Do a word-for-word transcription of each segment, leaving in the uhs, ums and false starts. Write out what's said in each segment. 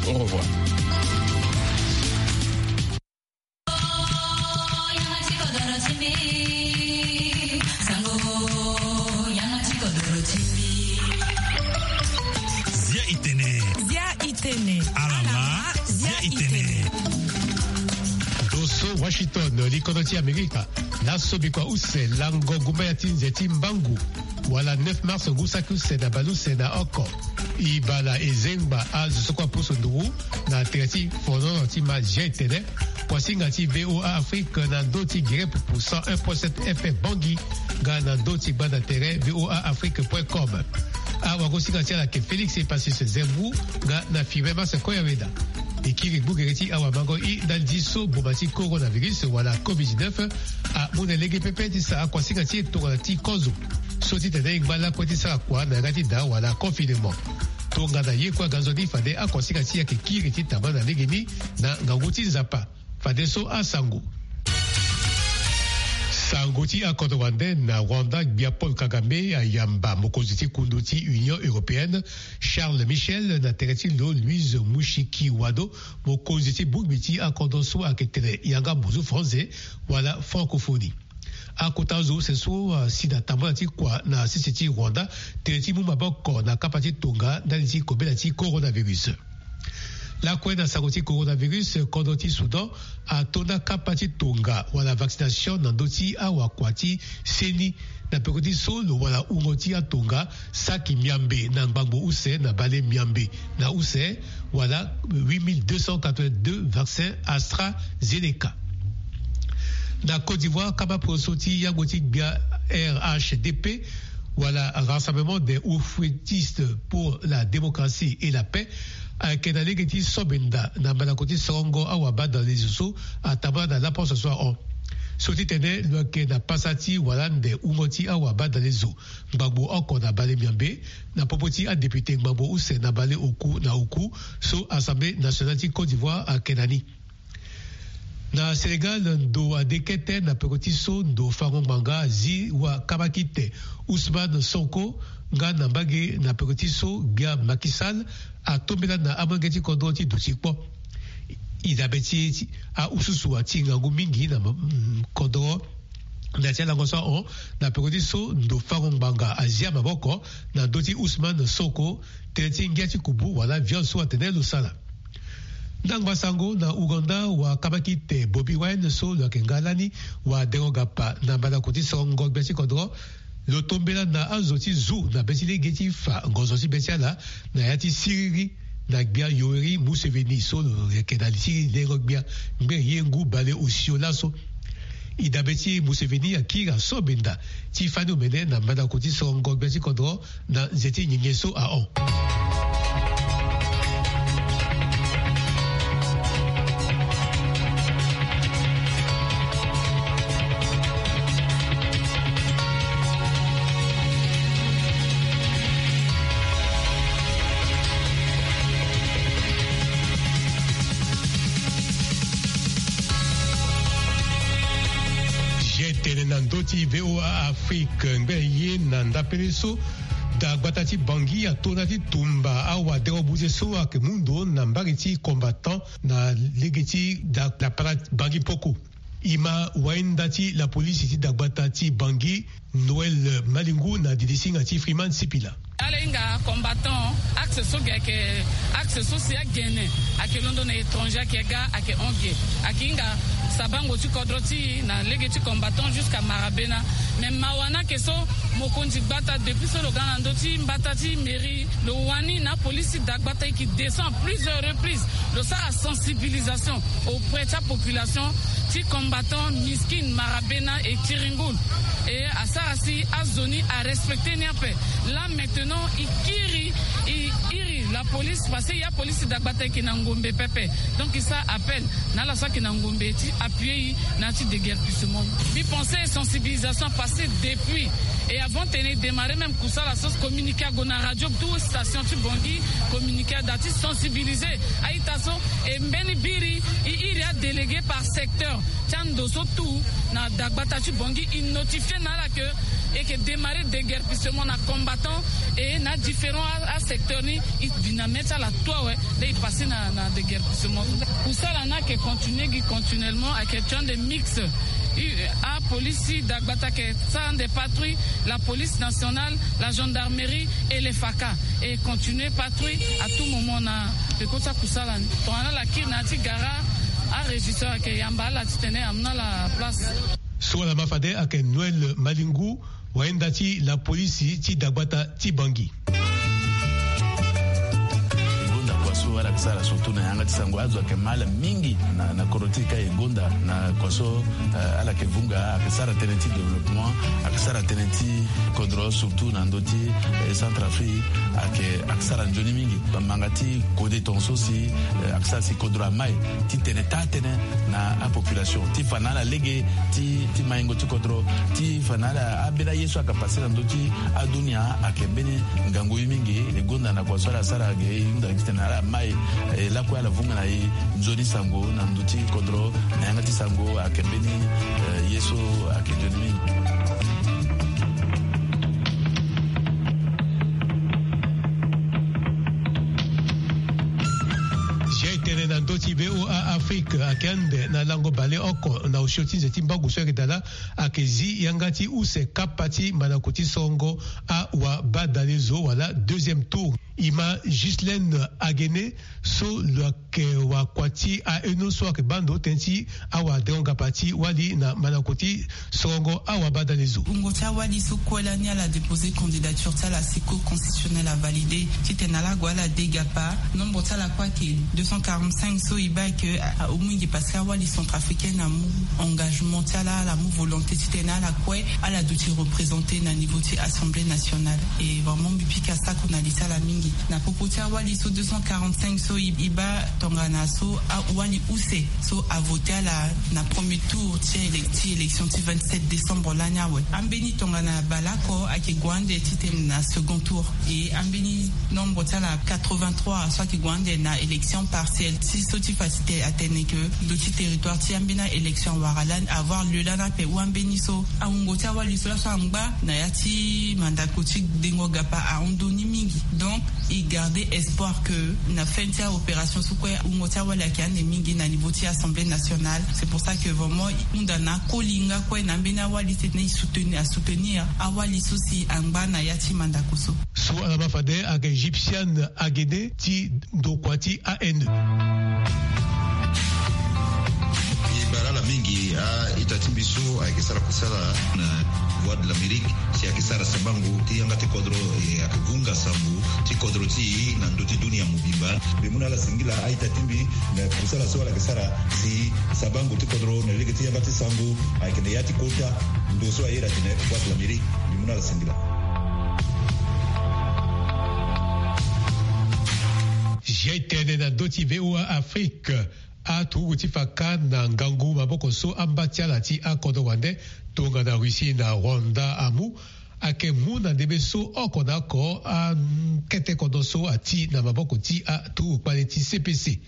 Au revoir. Zia itene. Zia itene. Alama. Zia itene. Doso Washington, likono ti Amerika. Laso bikua use lango gumba ya ti nze ti mbangu wala neuf mars ngu saki use na baleuse na oko. Ibala ezengba azo so kue apusu nduru na tere ti fonono ti ma G T N. Kuasinga ti V O A Afrique na ndö ti gere pupu cent un point sept F M Bangui nga na ndö ti gbanda tere V O A Afrique point com. Awagosinga ti ala yeke Félix Epasis Zembu nga na Firmin Mas Koyaweda. E kiri gbugere ti awamango i ndali ti so boma ti coronavirus wala covid dix-neuf amu na lege pepe ti sara kuasinga ti e tongana ti kozo. So ti tene e ngba lakue ti sara kua na yanga ti da wala confinement. Tongana ye kue aga nzoni fade akuasinga ti e ayeke kiri ti tamba na legeni na ngangu ti Nzapa. Fadeso asango. Sango ti akodro wande na Rwanda, gbia Paul Kagame ayamba mokonzi ti kundu ti Union Européenne, Charles Michel, na tere ti lo Louise Mushikiwado, mokonzi ti bongbi ti akodro so ayeke tene yanga mozu Franze wala Francophonie. Akota zo use so asi na tambula ti kua na sese ti Rwanda tene ti mu maboko na kapa ti tonga ndali ti kobela ti coronavirus. Lakue na sango ti coronavirus, kodro ti Soudan atonda kapa ti tonga wala vaccination na ndö ti awakua ti seni na peko ti so lo wala wungo ti atonga saki miambe na ngbangbo use na bale miambe na use wala huit mille deux cent quatre-vingt-deux vaccin AstraZeneca. Na Côte d'Ivoire, kama poso ti yango ti gbia R H D P wala Rassemblement des Oufouettistes pour la Démocratie et la Paix ayeke na lege ti so benda na mandako ti sorongo awabadalezo so atambula na laposo so ahon. So ti tene lo yeke na pasa ti wala ande wungo ti awabadalezo ngbangbo oko na bale miambe na popo ti adepite ngbangbo use na bale oku na oku so Assemblée nationale ti Côte d'Ivoire ayeke na ni. Na Sénégal, ndo ade kete na peko ti so ndo fango ngbanga azi wa kamakite Ousmane Sonko nga na mbage na peko ti so gbia Macky Sall atombela na amolenge ti kodro ti duti kpo. E dabe ti e ti aususu ati ngangu mingi na ma- mm, kodro. Na ya ti alango so ahon na peko ti so ndo fango ngbanga azia maboko na ndö ti Ousmane Sonko tene ti ngia ti kubu wala viol so atene lo sala. Ndangba sango na Ouganda, wa kamakite Bobi Wine so lo yeke nga lani wa dengo gapa na mbandako ti sorongo gbia ti kodro. Lo tombela na azo ti zu na be ti lege ti fa ngonzo ti be ti ala na ya ti siriri na gbia Yoweri Museveni so lo yeke na li ti lengo gbia ngbene ye ngu bale osio laso. E dabe ti e Museveni akiri aso benda ti fani omene na mbandako ti sorongo gbia ti kodro na nze ti nyenye so ahon. G T N na ndö ti V O A Afrique ngbe ye na ndapele so. Dagbata ti Bangui ato na ti tumba awa dero buze so ayeke mu ndo na mbage ti combattant na lege ti da- dapara Bangui poko. E ma wainda ti lapolisi ti dagbata ti Bangui, Noël Malingu, na didi singa ti Freeman Sipila. Ala hinga combattant, axe so ge ayeke axe so si agene ayeke londo na étranger ayeke ga ayeke hon ge. Ayeke hinga sabango ti kodro ti e na lege ti combattant jusqu'à Marabena. Mais mawa ni ayeke so mokonzi gbata depuis so lo ga na ndö ti mbata ti mairie, lo wani na apolisi dagbata e yeke descend plusieurs reprises, lo sara sensibilisation auprès ti apopulation ti combattant Miskin, Marabena et Tiringoul. Et asara si azo ni arespecte ni ape. Là maintenant e kiri, e iri lapolisi parce que ya polisi dagbata e yeke na ngombe pepe. Donc e sara appel na ala so ayeke na ngombe ti appuyer e na ya ti déguerpissement. Mbi pense sensibilisation apasse depuis. Et avant tene e démarrer même kusala so, communiqué ague na radio, tout station ti Bangui, communiqué ada ti sensibiliser a-ita so. E mbeni biri e iri adélégué par secteur ti ando so tout na dagbata ti Bangui, e notifier na ala que E yeke démarrer déguerpissement na combattant, e na différent asecteur ni. E bi na mê ti ala tout awe. Nde e passer na na déguerpissement. Kusala ni ayeke continuer gi continuellement, ayeke ti ande mix. Apolice ti dagbata ayeke sara ande patrouille, la police nationale, la gendarmerie et le faka. E continuer patrouille à tout moment na peko ti akusala ni. Tongana ala kiri na ya ti gara, arégisseur ayeke yamba ala titene amu na ala place. So ala ma fade ayeke Noël Malingu, wayenda ti lapolisi ti dagbata ti Bangui. E gonda kua so ala yeke sara surtout na yanga ti sango, azo ayeke ma ala mingi na na kodro ti e ka. E gonda na kua so, eh, ala yeke vunga, ayeke sara tënë ti développement, ayeke sara tënë ti kodro surtout na ndö ti, eh, Centrafrique, ayeke ayeke sara nzoni mingi. Bamanga ti kode tongaso si, eh, ayeke sara si kodro amai titene taa tënë na apopulation ti fa na ala lege ti ti maingo ti kodro, ti fa na ala ambeni aye so ayeke passer na ndö ti adunia. Ayeke mbeni ngangu ye mingi. E gonda na kua so ala sara ge e hunda titene ala mai, eh, lakue ala vunga na e nzoni sango na ndö ti kodro na yanga ti sango. Ayeke mbeni, eh, ye so ayeke nzoni mingi. Zia e tene na ndö ti V O A Afrique ayeke ande na lango baleoko na osio ti nze ti mbangu so ayeke dala. Ayeke zi yanga ti use kapa ti mandako ti sorongo awabadalezo wala deuxième tour. E ma Ghislaine Aguene so lo yeke wakua ti aheno so ayeke baa ndo tënë ti awadengo-ngapa ti wali na mandako ti sorongo awabadalezo. Wungo ti awali so kue lani ala déposer candidature ti ala si Cour constitutionnelle avalider titene ala gue ala de gapa. Nombre ti ala kue ayeke deux cent quarante-cinq so e baa ayeke amu mingi parce que awali centrafricaine amu engagement ti ala, ala mu volonté titene ala kue ala duti représenter na niveau ti assemblée nationale. Et vraiment mbi pika sako na li ti ala mingi na popo ti awali so deux cent quarante-cinq so e baa tongana so awali use so avoter ala na premier tour ti élection ti vingt-sept décembre lani awe. Ambeni tongana baleoko ayeke gue ande titene na second tour. Et ambeni nombre ti ala quatre-vingt-trois so ayeke gue ande na élection partielle ti so ti fa ti atene ke ndo ti territoire ti ambeni a-élection awara lani, avoir lieu lani ape. Ou ambeni so awungo ti awali so laso angba na ya ti mandako ti dengo-gapa ahon ndo ni mingi. Donc e garder espoir ke na fin ti aopération so kue wungo ti awali ayeke ande mingi na niveau ti assemblée nationale. C'est pour ça que vraiment e hunda na akoli nga kue na ambeni awali titene e soutenir, asoutenir awali so si angba na ya ti mandako so. So ala ma fade ayeke Gyptiane Aguene ti ndokua ti A N E. E baa ala mingi a-ita ti mbi so ayeke sara kusala na Voix de l'Amérique si ayeke sara sabango ti yanga ti kodro, e ayeke vunga sango ti kodro ti e na ndö ti dunia mobimba. Mbi mu na ala singila a-ita ti mbi na kusala so ala yeke sara si sabango ti kodro na lege ti yanga ti sango ayeke na ya ti kota ndo so aye atene Voix de l'Amérique. Mbi mu na ala singila. Zia e tene na ndö ti V O A Afrique. Aturugu ti fa kâ na ngangu maboko so amba ti ala ti akodro wande tongana Russie na Rwanda amu ayeke mu na ndembe so oko na oko akete kodro so ati na maboko ti aturugu kpale ti C P C.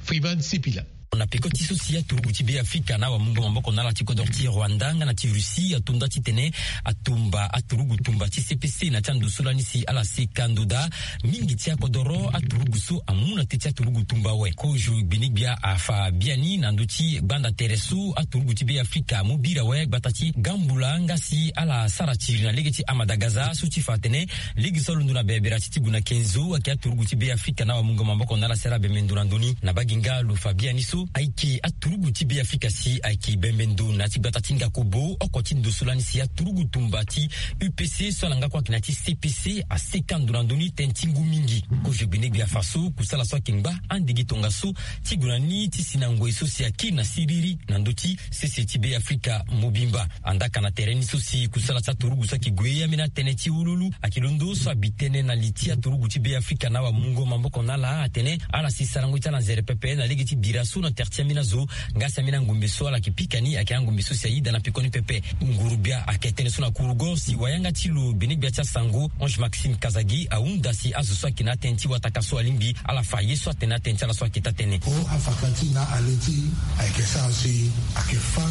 Freeman Sipila. Na peko ti so si aturugu ti Beafrika na awamungo maboko na ala ti kodro ti Rwanda nga na ti Russie ato nda titene atumba aturugu tumba ti C P C na ti ando so lani si ala seka ndo daa. Mingi ti akodoro aturugu so amu na teti aturugu tumba awe. Kozo gbinigbia afa biani na ndö ti gbanda tere so aturugu ti Beafrika amu biri awe gbata ti Gambula nga si ala sara tiri na lege ti Amadagaza so ti fa atene lege so alondo na bebera ti ti gu na kenzo ayeke aturugu ti Beafrika na awamungo maboko na ala si ala bembe ndo na ndö ni. Na bage nga lo fa biani so ayeke aturugu ti Beafrika si ayeke bembe ndo na ya ti gbata ti Ngakobo oko ti ndo so lani si aturugu tumba ti U P C so ala nga kue ayeke na ya ti C P C aseka ndo na ndö ni tënë ti ngu mingi. Kozo gbinigbia afa so kusala so ayeke ngba ande gi tongaso ti gue na ni ti si na ngoi so si akiri na siriri na ndö ti sese ti Beafrika mobimba. Andaka na tere ni so si kusala ti aturugu so ayeke gue ambeni atënë ti ululu ayeke londo so abi tënë na li ti aturugu ti Beafrika na awamungo maboko na ala atene ala si sarango ti ala nzere pepe na lege ti bira so na tere ti ambeni azo nga si ambeni angombe so ala yeke pika ni ayeke angombe so si ayeda na pekoni pepe. Nguru-gbia ayeke tene so na kurugo si wayanga ti lo gbinigbia ti asango Ange Maxime Kazadi ahunda si azo so ayeke na atënë ti wataka so alingbi ala fa ye so atene atënë ti ala so ayeke taa tënë. O afa ka ti na ale ti ayeke sara si ayeke fa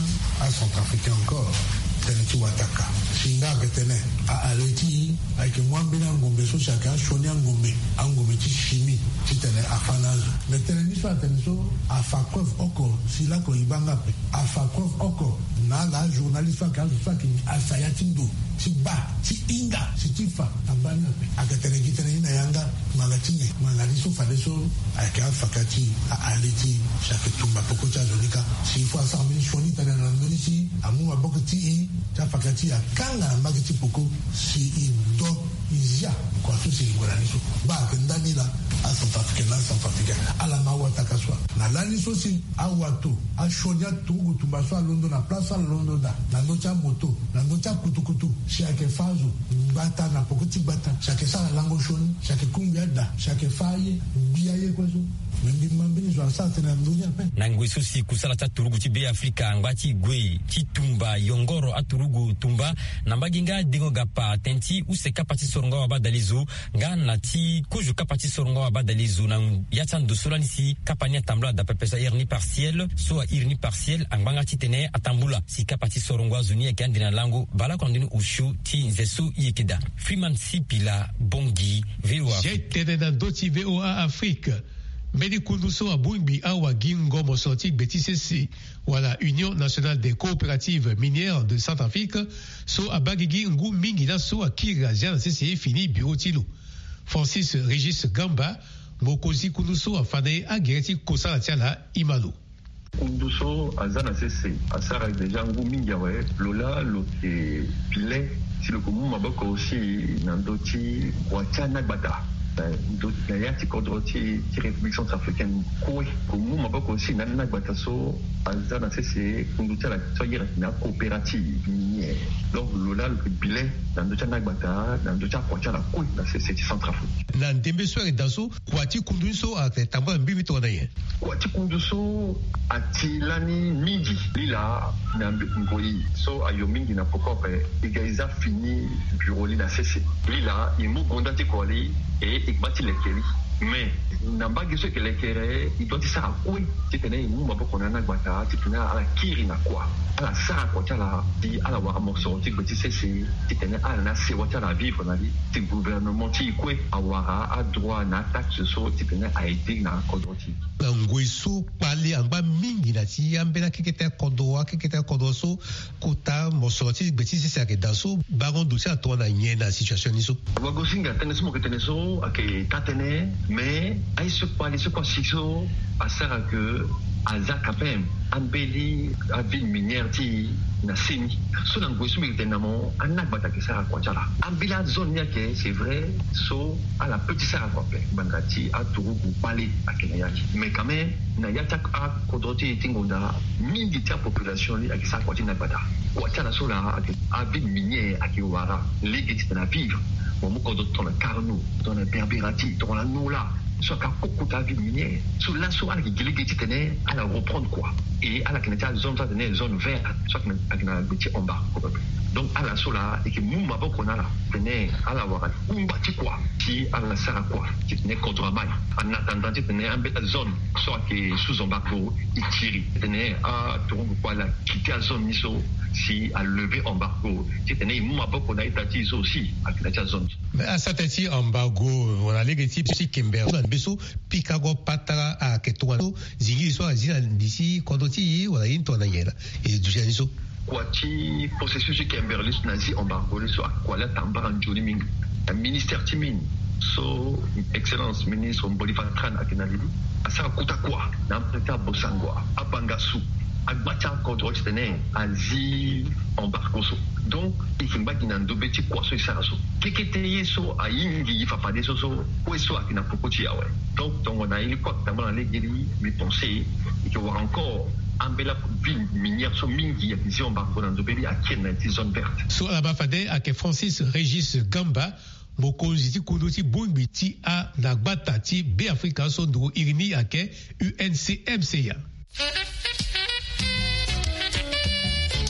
acentrafricain encore. Tënë ti wataka si nga ayeke tene, a ale ti e ayeke mu ambeni angombe so si ayeke asioni angombe, angombe ti chimie, titene afa na azo. Me tënë ni so atene so afa preuve oko si lakue e baa nga ape. Afa preuve oko na ala ajournaliste so ayeke azo so ayeke asa ya ti ndo ti baa ti hinga si ti fa. Abaa ni ape. Ayeke tene gi tënë ni na yanga. Ngbanga ti nyen? Ngbanga ni so fadeso ayeke afaka ti e, a ale ti e si ayeke tumba peko ti azo ni kâ. Si il faut asara mbeni sioni tënë na ndö ni si amu maboko ti e ti afaka ti e akanga na mbage ti peko si e do e zia kua so si e gue na ni so. Baa ayeke ndani laa, acentrafricain na acentrafricain ala ma awataka so. Na lani so si awato asioni aturugu tumba so alondo na place so ala londo daa, na ndö ti amoto, na ndö ti akutukutu, si ayeke fâ azo gbata na peko ti gbata, si ayeke sara lango sioni, si ayeke kungbi ada, si ayeke fâ aye, gbi aye kue so. Me mbi ma mbeni zo asara tënë na ndö ni ape. Na ngoi so si kusala ti aturugu ti Beafrika angba ti gue ti tumba yongoro aturugu tumba na mbage nga dengo gapa tënë ti use kapa ti sorongo awabadalezo nga na ti kozo kapa ti sorongo awabadalezo na ya ti ando so lani si kapa ni atambula daa pepe so a iri ni partiel so a iri ni partiel angba nga titene atambula si kapa ti sorongo azo ni ayeke ande na lango baleoko na ndö ni osio ti nze so e yeke daa. Freeman Sipila, Bangui, VOA. Jai tënë na ndö ti VOA Afrique. Mbeni kundu so abongbi awagingo mosoro ti gbe ti sese wala Union Nationale des Coopératives Minières de Centrafrique so abaa gigi ngu mingi laso akiri azia na sese fini biro ti lo. Francis Régis Gamba, mokonzi kundu so afa na e agere ti kosala ti ala e ma lo. Kundu so aza na sese asara déjà ngu mingi awe. Lo laa lo yeke bi le si lo yeke mu maboko aussi na ndö ti kua ti anagbata na ndö na ya ti kodro ti ti République centrafricaine kue. Lo yeke mu maboko aussi na anagbata so aza na sese kundu ti ala so ayeke na coopérative minière. Donc lo laa lo yeke bi le na ndö ti anagbata na ndö ti akua ti ala kue na sese ti Centrafrique. Na ndembe so ayeke daa so, kua ti kundu ni so ayeke tambula mbirimbiri tongana nyen? Kua ti kundu so ati lani mingi. Lila na ngoi so ayo mingi na poko ape, e ga e za fini biro li na sese. Lila e mu gonda ti kua li, e e gba ti leke li. Mais na mbage so e yeke lekere, e doit ti sara kue titene e mu maboko na anagbata titene ala kiri na kua, ala sara kua ti ala si ala wara mosoro ti gbe ti sese, titene ala na sewa ti ala avivre na li, si gouvernement ti e kue awara adroit na ataxe so titene a aide na kodro ti e. Na ngoi so kpale angba mingi na ti ambeni akekete kodro, akekete kodro so kota mosoro ti gbe ti sese ayeke daa so, bango ndo ti ala tongana nyen na situation ni so? Wagosinga, tënë so mo yeke tene so ayeke taa-tënë, mais aye so kpale so kue asi so asara ke aza quand même ambeni aville minière ti e na seni. So na ngoi so mbi yeke tene na mo, anagbata ayeke sara kua ti ala. Ambeni azone ni ayeke, c'est vrai, so ala peut ti sara kua ape ngbanga ti aturugu kpale ayeke na ya ni. Mais quand même na ya ti akodro ti e ti ngonda, mingi ti apopulation ni ayeke sara kua ti nagbata. Kua ti ala so laa ayeke aville minière ayeke wara lege titene avivre. Mo mu kodro tongana Carnot, tongana Berbérati, tongana Nola, so ayeke akoko ti aville minière. So laso ala yeke gi lege titene ala reprendre kua. Et ala yeke na ya ti azone so atene zone verte, so ayeke na gbe ti embargo. Donc ala so laa e yeke mu maboko na ala titene ala wara kungba ti kua si ala sara kua titene kodro amai. En attendant titene ambeni azone so ayeke sous embargo e kiri, titene aturugu kue ala quitter azone ni so, si a lever embargo, titene e mu maboko na ita ti e so aussi ayeke na ya ti azone. Mais asara tënë ti embargo wala lege ti so ti Kimberley so na ndembe so, pikango patara ayeke tongana so, zingiri so azi na li ti kodro ti e wala ye ni tongana nyen laa? E duti na ni so. Kua ti processus ti Kimberley so na zi embargo ni so, akua laa atambara nzoni mingi. Na ministère ti mine so excellence ministre Mboli Vatran ayeke na li, asara kota kua na ambeni ti abosangua, abangasu, agba ti akodro titene azi embargo so. Donc e yeke ngba gi na ndobe ti kua so e sara so. Kekete ye so ayingi gi fafade so, so kue so ayeke na poko ti e awe. Donc tongana ye ni kue ayeke tambula na lege ni, mbi pense e yeke wara encore ambeni aville minière so mingi ayeke zi embargo na ndobe ni akiri na ya ti zone verte. So ala baa fade ayeke Francis Régis Gamba, mokonzi ti kundu ti bongbi ti anagbata ti Beafrika so nduru iri ni ayeke U N C M C A.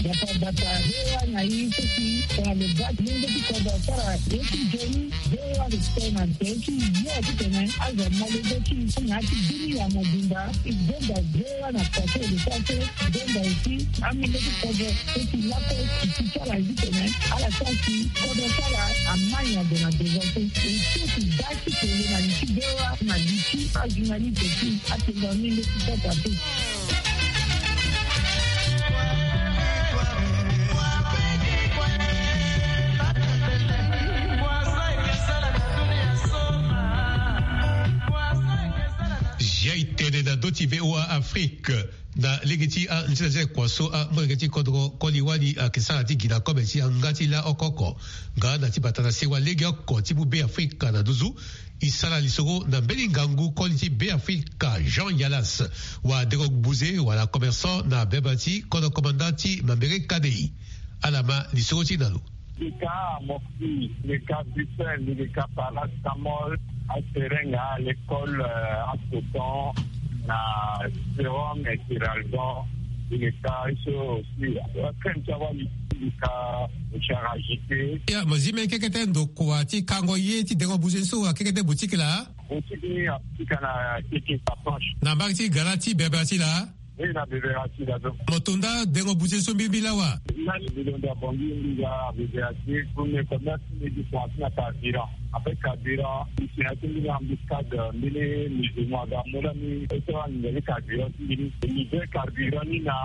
Bata bata, V O A na ye so si tongana lo ga ti lenge ti kodro asara ye ti nzoni, V O A lo tene na nze ti yo titene azo na lege ti na ya ti bini ya mobimba. E gonda V O A na pase e lo sara so e gonda aussi amenge ti kodro so si lakue e si sara ye titene ala sara si kodro so ala amai na ndo na devant so e so si ga ti kele na li ti V O A na li ti ajournaliste ti atenga mingi ti sota te. Jai tene na ndö ti V O A Afrique. Na lege ti anzenzele kua so amolenge ti kodro koli wali ayeke sara ti gi na kobe ti yanga ti laoko oko nga na ti bata na sewa lege oko ti mu Beafrika na nduzu. E sara lisoro na mbeni ngangu koli ti Beafrika Jean Yalas, wadengo buze wala commerçant na bebela ti kodro commandant ti Mambere Kadei. Ala ma lisoro ti na lo. Mbi ka morphine, mbi ka buprofène, mbi ka paracétamol, aspirin, nga l'école, euh, Ascotan, na sérum et Xarelto, mbi ka so aussi crème ti awali, mbi ka charagité. Ya, mo zi mbeni kekete ndokua ti kango ye ti dengo buze so akekete boutique laa? Boutique ni aboutique na keke approche. Na mbage ti gara ti bebela ti laa? Oui, na bebela ti laa so. Mo to nda dengo buze so mbirimbiri lawa? Lani mbi londo abongi mbi ga bebela ti premier commerce, mbi gi point ti na carburant. Après carburant, mbi si na ya ti mbeni embuscade, mbeni musulman aga amu lani e sara nginza ti carburant ti mbi ni. Mbi livrer carburant ni na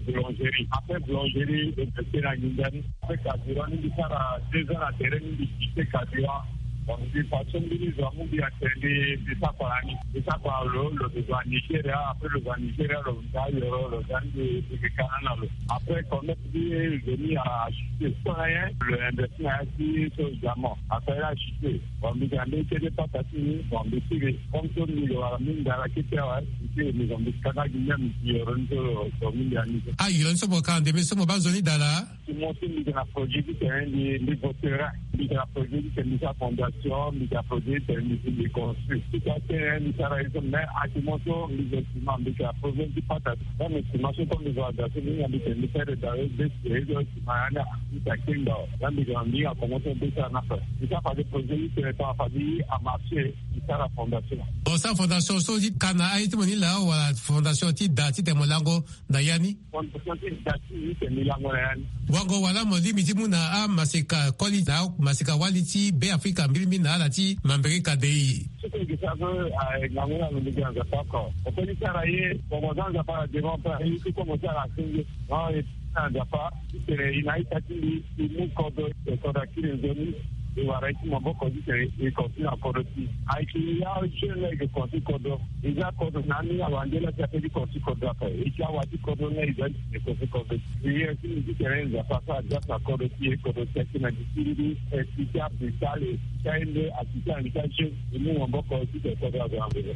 boulangerie. Après boulangerie e prêter na nginza ni. Après carburant ni mbi sara deux ans na terrain ni, mbi quitter carburant. Donc mbi fa so mbeni zo amu mbi atene mbi sara kua na ni. Mbi sara kua na lo, lo zo a Nigeria. Après lo zo a Nigeria, lo zo a yoro, lo zo a ni, mbi yeke ka na lo. Après commerce ti nzoni achuté. So na nyen? Lo investi na ya ti so diamant. Asara ye achuté. Bon, mbi ga mbeni kete pata ti ni, bon, mbi sigi. Comme so mbi lo wara mingi na ala kete awe, mbi sigi, mbi zo mbi kanga gi mia mbi si yoro ni so lo so mingi na ni so. Ah, yoro ni so mo ka na ndembe so mo baa nzoni daa laa? Ti mo so mbi yeke na projet titene mbi, mbi vo terrain. Mbi yeke na projet titene mbi sara fondation, mbi yeke na projet titene mbi, mbi construire. Ti ka tene mbi sara ye so, mais actuellement so mbi zo ciment, mbi yeke na problème ti pata. Dans mes ciment so comme mbi zo aga so mbi hinga mbi tene mbi sara daa ye so ciment ya ni, mbi yeke na kengba. Là mbi yeke na mbi hinga comment so mbi sara na fa. Mbi sara fade projet titene tongana fade amarché, mbi sara fondation. Bon, sara fondation so ti ka na aye ti mo ni laa wala fondation ti daa titene mo lango na ya ni? Fondation ti daa ti ni titene mbi lango na ya ni. Wango wala mo lingbi ti mu na amaseka koli na amaseka wali ti Beafrika mbirimbiri na ala ti Mambere Kadei. Soko e yeke sara so, ah, e ngangu na lo, mbi gi na Nzapa oko. Mo peut ti sara ye, mo mo za Nzapa na devant ape, aye so comme mo sara na senge. Non, e na Nzapa titene e na ita ti mbi, e mu kodro, e kodro akiri nzoni, e wara ye ti maboko titene e continue na kodro ti e. Ayeke ya jeune la e yeke construire kodro. E za kodro na ni awande la si ape ti construire kodro ape. E ti awa ti kodro nga e za ti tene construire kodro. E ye ti mbi titene Nzapa asara grâce na kodro ti e, kodro ti akiri na gi ti mbi, e ti ti apital, e ti aye nde, apital, e ti ajeune, e mu maboko titene kodro azo na nzoni.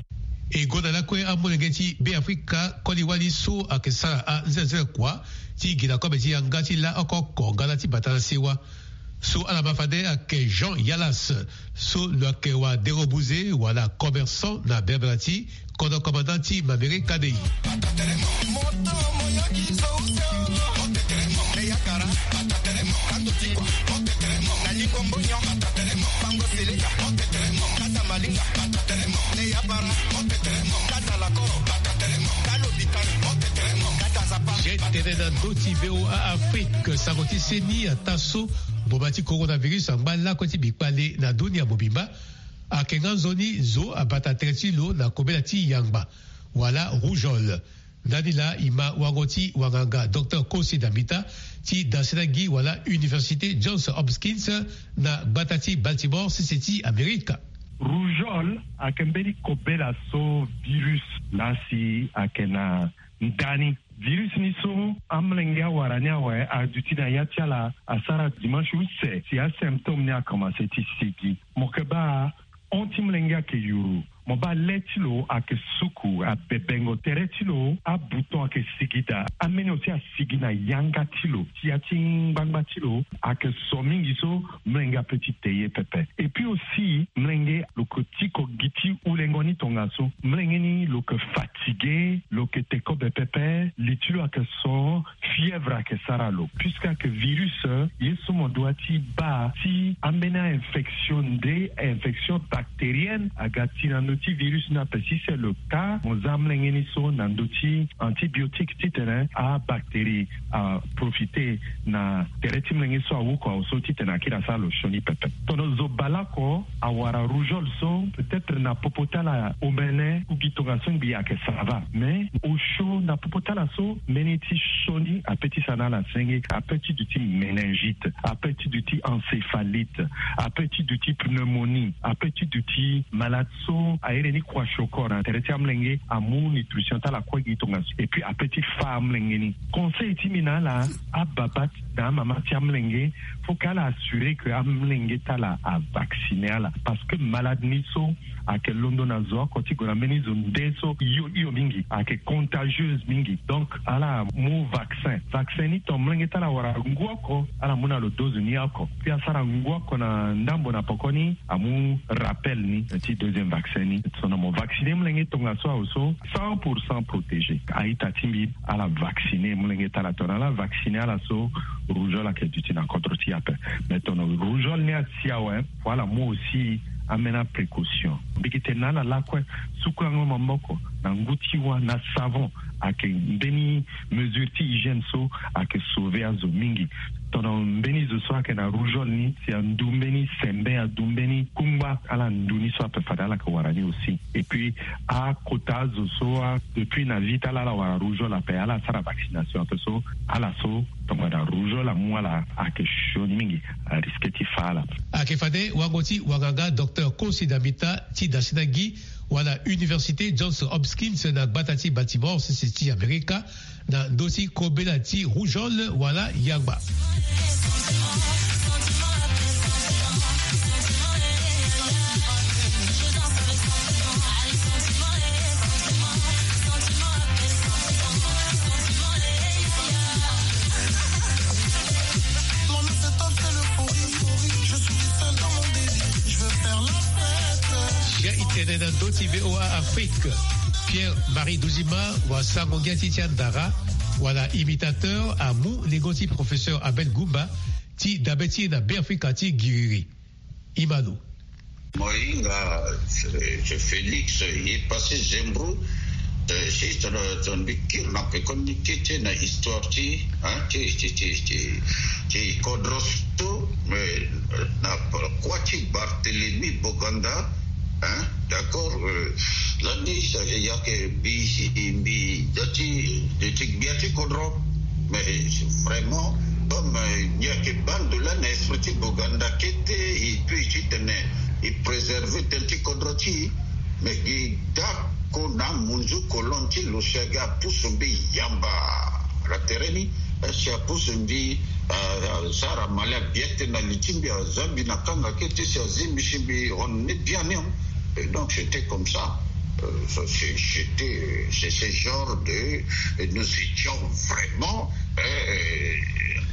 E gonda lakue amolenge ti Beafrika koli wali so ayeke sara anzenze kua ti gi na kobe ti yanga ti laoko oko nga na ti bata na sewa. So ala ma fade ayeke Jean Yalas, so lo yeke wadengo buze wala commerçant na bebela ti kodro commandant ti Mambere Kadei. Ye tene na ndö ti V O A Afrique, sango ti seni ataa so mboma ti coronavirus angba lakue ti bikpale na dunia mobimba. Ayeke nga nzoni zo abata tere ti lo na kobela ti yangba wala rougeole. Ndani laa e ma wango ti wanganga Docteur Kosi Dambita ti dasena gi wala Université Johns Hopkins na gbata ti Baltimore, sese ti Amerika. Rougeole ayeke mbeni kobela so virus laa si ayeke na ndani. Virus ni so amolenge awara ni awe aduti na ya ti ala asara dimanche use si asymptôme ni akomanse ti sigi. Mo yeke baa hon ti molenge ayeke yuru. Mo baa le ti lo ayeke suku, abebengo. Tere ti lo abouton ayeke sigi daa. Ambeni aussi asigi na yanga ti lo. Ti ya ti ngbangba ti lo ayeke so mingi so, molenge ape ti te ye pepe. Et puis aussi, molenge lo yeke tiko gi ti ulengo ni tongaso. Molenge ni lo yeke fatigué, lo yeke te kobe pepe, li ti lo ayeke so, fièvre ayeke sara lo. Puisque ayeke virus, ye so mo doit ti baa ti ambeni a-infection nde, infection bactérienne, aga ti na ndö ti virus ni ape. Si c'est le cas, mo za molenge ni so na ndö ti antibiotique titene abactérie aprofité na tere ti molenge so awuku aso titene akiri asara lo sioni pepe. Tono zo baleoko awara rougeole so, peut-être na popo ti ala omene, ku gi tongaso ngbii ayeke ça va. Mais osio na popo ti ala so, mbeni ti sioni ape ti sara na ala senge, ape ti duti méningite, ape ti duti encéphalite, ape ti duti pneumonie, ape ti duti malade so airi ni kwashiokoro na tere ti amolenge, amu nutrition ti ala kue gi tongaso. Et puis ape ti fâ amolenge ni. Conseil ti mbi na ala, ababa na amama ti amolenge, faut que ala assurer que amolenge ti ala avacciné ala, parce que malade ni so ayeke londo na zo oko ti gue na mbeni zo nde so hio hio mingi, ayeke contagieuse mingi. Donc ala mu vaccin. Vaccin ni, ton molenge ti ala awara ngu oko, ala mu na lo dose ni oko. Puis asara ngu oko na ndambo na poko ni, amu rappel ni ti deuxième vaccin ni. Tono mo vacciné molenge tongaso awe so, cent pour cent protégé. A-ita ti mbi, ala vacciné molenge ti ala. Tono ala vacciné ala so, rougeole ayeke duti na kodro ti e ape. Mais tono rougeole ni asi awe, faut ala mu aussi ambeni aprécaution. Mbi yeke tene na ala lakue, sukulango maboko na ngu ti wâ na savon, ayeke mbeni mesure ti hygiène so ayeke sauver azo mingi. Tono mbeni zo so ayeke na rougeole ni, si andu mbeni sembe, andu mbeni kungba, ala ndu ni so ape fade ala yeke wara ni aussi. Et puis akota azo so, a, depuis na vie ti ala ala wara rougeole ape, ala sara vaccination ape so, ala so tongana rougeole amu ala, ayeke sioni mingi, arisque ti fâ ala. Ayeke fade wango ti wanganga docteur Kosi Dambita ti da si na gi wala Université Johns Hopkins na gbata ti Baltimore, sese ti Amerika, na ndö ti kobela ti rougeole wala yangba. Sia e tene na ndö ti V O A Afrique. Pierre Marie Dozima, wasango-ngia ti ti andara, wala imitateur, amu lengo ti professeur Abel Goumba, ti dabe ti e na Beafrika ti giriri. Imano. Mo hinga, eh, Félix, ye passé Zembro, eh, si tongana, tongana mbi kiri na pekoni ti e na histoire ti, hein, ti, ti, ti, ti, ti kodro so, eh, na kua ti Barthélemy Boganda, hein, d'accord, eh, lani sa, eh, yake mbi, mbi, da ti, ti gbia ti kodro. Mais vraiment, comme, euh, il n'y a que bande là, na esprit ti Boganda kete, et puis ti tene, il préserve tel ti kodro ti, mais gi dako na munzu kolon ti lo si aga pusu mbi yamba. La tereni, euh, si apusu mbi, euh, sara mali abiete na li ti mbi, azambi na kanga kete si azimbi si mbi hon ne bien ni. Et donc, c'était comme ça. Euh, ça, c'est, c'était, c'est ce genre de, nous étions vraiment, euh,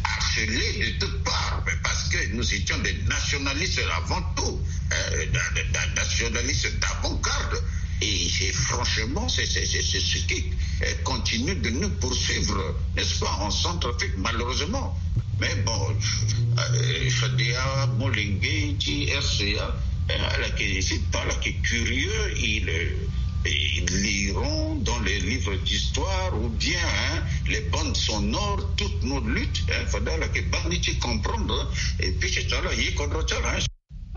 harcelés de toutes parts, mais parce que nous étions des nationalistes avant tout, euh, da-, da-, da-, nationalistes d'avant-garde. Et c'est franchement, c'est, c'est, c'est, c'est ce qui, euh, continue de nous poursuivre, n'est-ce pas, en Centrafrique, malheureusement. Mais bon, euh, Fadea, molenge ti R C A, euh, ala yeke, c'est pas là qui est curieux, ils, euh, ils liront dans les livres d'histoire ou bien, hein, les bandes sonores, toutes nos luttes, hein, fade ala yeke baa ni ti comprendre, et puis c'est ça là, ye kodro ti ala, hein.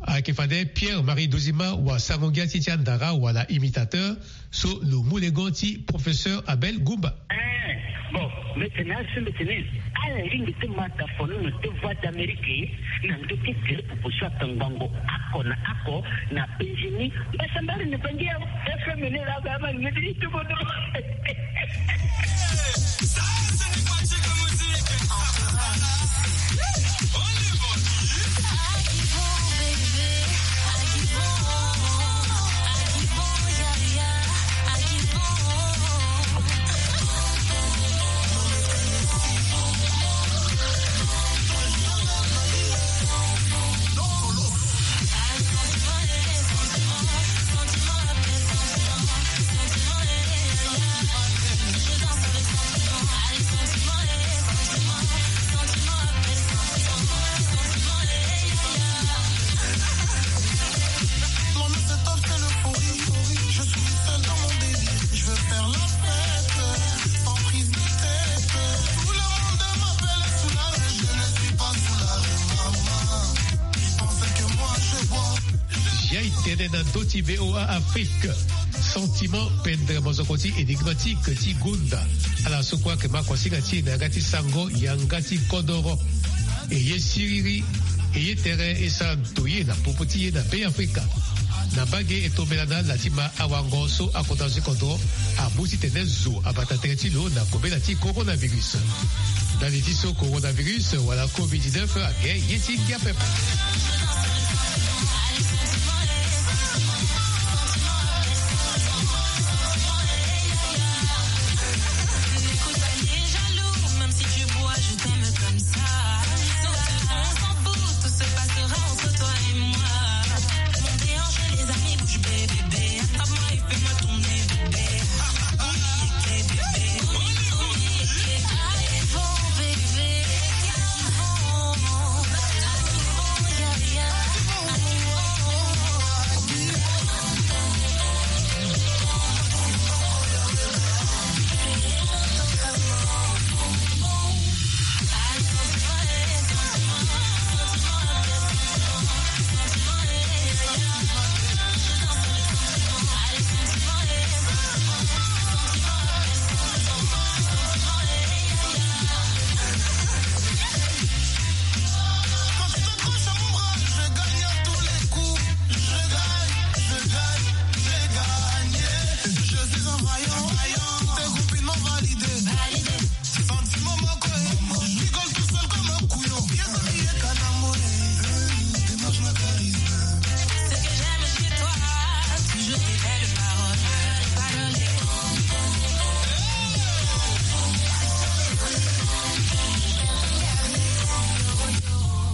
Ayeke fade Pierre Marie Dozima, wasango-ngia ti ti andara wala imitateur, so lo mu lengo ti professeur Abel Goumba. Eh, bon, mbi tene asi mbi tene, ala lingbi ti ma tafonono ti Voix d'Amérique na ndö ti tere popo so atongbango oko na oko na penzi ni. Mbasambari ni bangi ya F M ni la ba ma ngedi ti bodo. Na ndö ti VOA Afrique, sentiment pendre mozoko ti énigmatique ti gonda. Ala so kue ayeke ma kuasinga ti e na yanga ti sango yanga ti kodoro. E ye siriri, e ye tere e sara ntoye na popo ti e na Be Afrika. Na mbage e tombela na ala ti ma awango so akota zo ti kodro amu titene zo abata tere ti lo na kobela ti coronavirus. Ndali ti so coronavirus wala covid dix-neuf ayeke ye ti ngia pepe.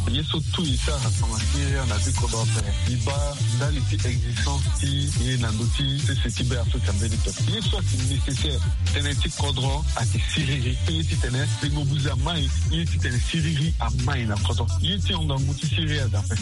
Ye so tout e sara na tonga ti ere na ti kodro ape. E baa ndali ti existence ti e na ndö ti sese ti Be Afrika mbeni pepe. Ye so ayeke nécessaire tënë ti kodro ayeke siriri. Ye titene tengo buze amai. Ye titene siriri amai na kodro. Ye ti hon ngangu ti siriri aza ape.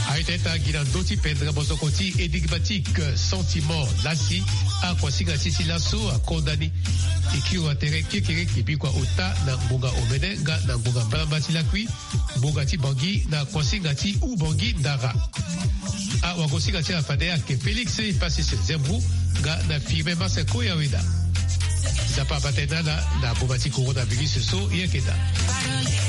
Aye tene ta gi na ndö ti pendere mosoko ti énigmatique sentiment lasi. Akuasinga ti e ti laso akonda ni. E kiri wa tere kekereke bikua ota na ngonga omene nga na ngonga mbalamba ti lakui. Ngonga ti Bangui na kuasinga ti Oubangui Ndara. Awagosinga ti ala fade ayeke Félix Ipasis Zembou nga na Firmin Maseko Yaweda. Nzapa abata e na ala na ngonga ti coronavirus so e yeke daa.